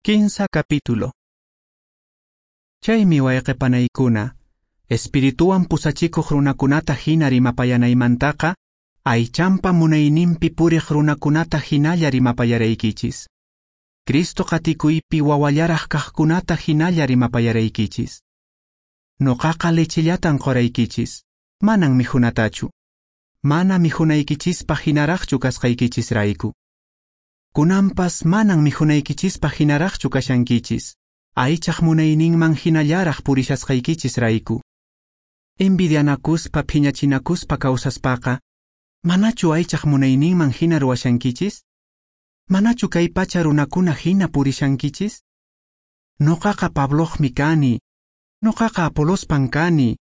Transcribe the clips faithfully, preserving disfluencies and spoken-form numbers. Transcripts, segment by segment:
Kinsa capítulo. Chaymi wayqe panaykuna, espirituwan pusachikuq runakunata hina rimapayanaymantaqa, aychanpa munayninpi puriq runakunata hinalla rimapayaraykichis. Cristo qatikuypi wawallaraq kaqkunata hinalla rimapayaraykichis. Noqaqa lechellatan qoraykichis, manan mikhunatachu. Mana mikhunaykichispaq hinaraqchu kasqaykichisrayku. Kunanpas manan mikhunaykichispaq hinaraqchu kashankichis, aychaq munayninman hinallaraq purishasqaykichisrayku. Envidianakuspa phiñachinakuspa kawsaspaqa, manachu aychaq munayninman hina ruwashankichis? Manachu kay pacha runakuna hina purishankichis? Noqaqa Pabloqmi kani, noqaqa Apolospan kani,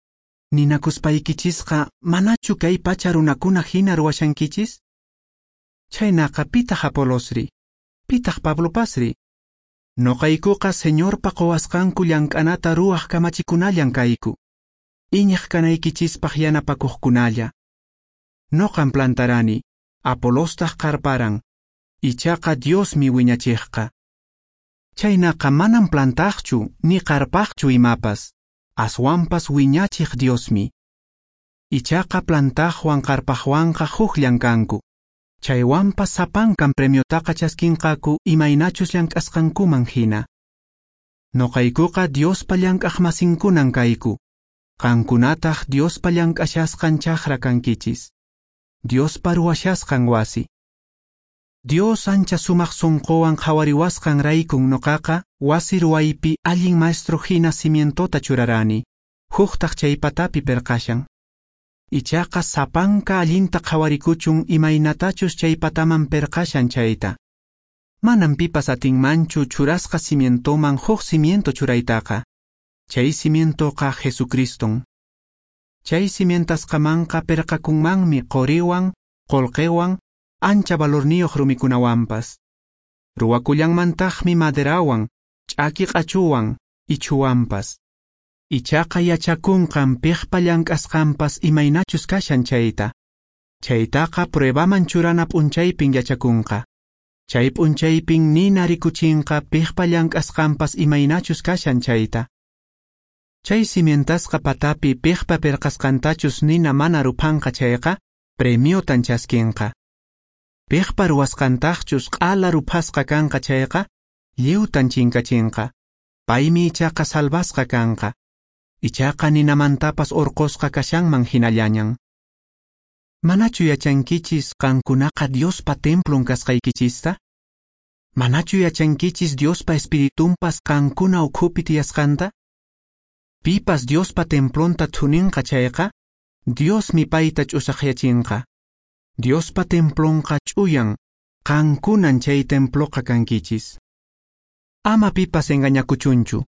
ninakuspaykichisqa manachu kay pacha runakuna hina ruwashankichis? Chhaynaqa pitaq Apolosri, pitaq Pablopasri? Noqaykuqa Señorpa qowasqanku llank'anata ruwaq kamachikunallan kayku, iñiq kanaykichispaq yanapakuqkunalla. Noqan plantarani, Apolostaq qarparan, ichaqa Diosmi wiñachiqqa. Chhaynaqa manan plantaqchu ni qarpaqchu imapas, aswanpas wiñachiq Diosmi. Ichaqa plantaqwan qarpaqwanqa hukllan kanku. Chaywanpas sapankan premiotaqa chaskinqaku imaynachus llank'asqankuman hina. Noqaykuqa Diospa llank'aqmasinkunan kayku. Qankunataq Diospa llank'ashasqan chakra kankichis. Diospa ruwashasqan wasi. Dios ancha sumaq sunquwan qhawariwasqan raykun noqaqa wasi ruwaypi allin maestro hina cimientota churarani, huktaq chay patapi perqashan. Ichaqa sapanka allinta qhawarikuchun imaynatachus chay pataman perqashan chayta. Manan pipas atinmanchu churasqa cimientoman huk cimiento churaytaqa. Chay cimientoqa Jesucriston. Chay cimientasqamanqa perqakunmanmi qoriwan, qolqewan, ancha valorniyuq rumikunawanpas. Ruwakullanmantaqmi maderawan, ch'aki q'achuwan, ichhuwanpas. Ichaqa yachakunqan piqpa llank'asqanpas imaynachus kashan chayta. Chaytaqa pruebaman churana p'unchaypin yachakunqa. Chay p'unchaypin nina rikuchinqa piqpa llank'asqanpas imaynachus kashan chayta. Chay cimientasqa patapi piqpa perqasqantachus nina mana ruphanqa chayqa, premiotan chaskinqa. Piqpa ruwasqantaqchus q'ala ruphasqa kanqa chayqa, lliwtan chinkachinqa. Paymi ichaqa salvasqa kanqa. Ichaqa ninamantapas urqusqa kashanman hinallañan. Manachu yachankichis qankunaqa Diospa templon kasqaykichista? Manachu yachankichis Diospa espiritunpas qankuna ukhupi tiyasqanta? Pipas Diospa templonta thuninqa chayqa, Diosmi payta ch'usaqyachinqa. Diospa templonqa ch'uyan, qankunan chay temploqa kankichis. Ama pipas engañakuchunchu.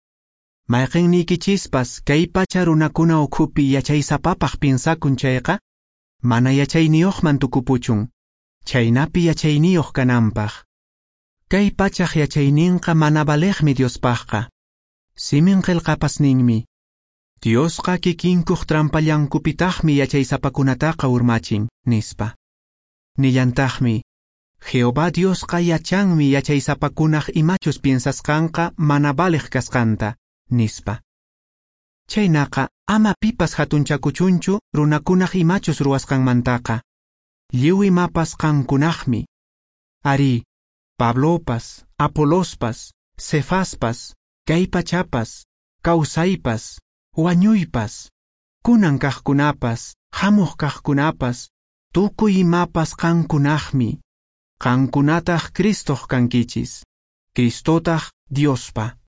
Mayqinniykichispas kay pacha runakuna ukhupi yachaysapapaq piensakun chayqa, mana yachayniyuqman tukupuchun, chhaynapi yachayniyuq kananpaq. Kay pachaq yachayninqa mana valeqmi Diospaqqa. Simin qillqapas ninmi, Diosqa kikinkuq trampallankupitaqmi yachaysapakunataqa urmachin, nispa. Nillantaqmi, Jehová Diosqa yachanmi yachaysapakunaq imachus piensasqanqa mana valeq kasqanta, nispa. Chhaynaqa ama pipas hatunchakuchunchu runakunaq imachus ruwasqanmantaqa. Lliw imapas qankunaqmi. Arí, Pablopas, Apolospas, Cefaspas, kay pachapas, kawsaypas, wañuypas, kunan kaqkunapas, hamuq kaqkunapas, tukuy imapas qankunaqmi. Qankunataq Cristoq kankichis. Cristotaq Diospa.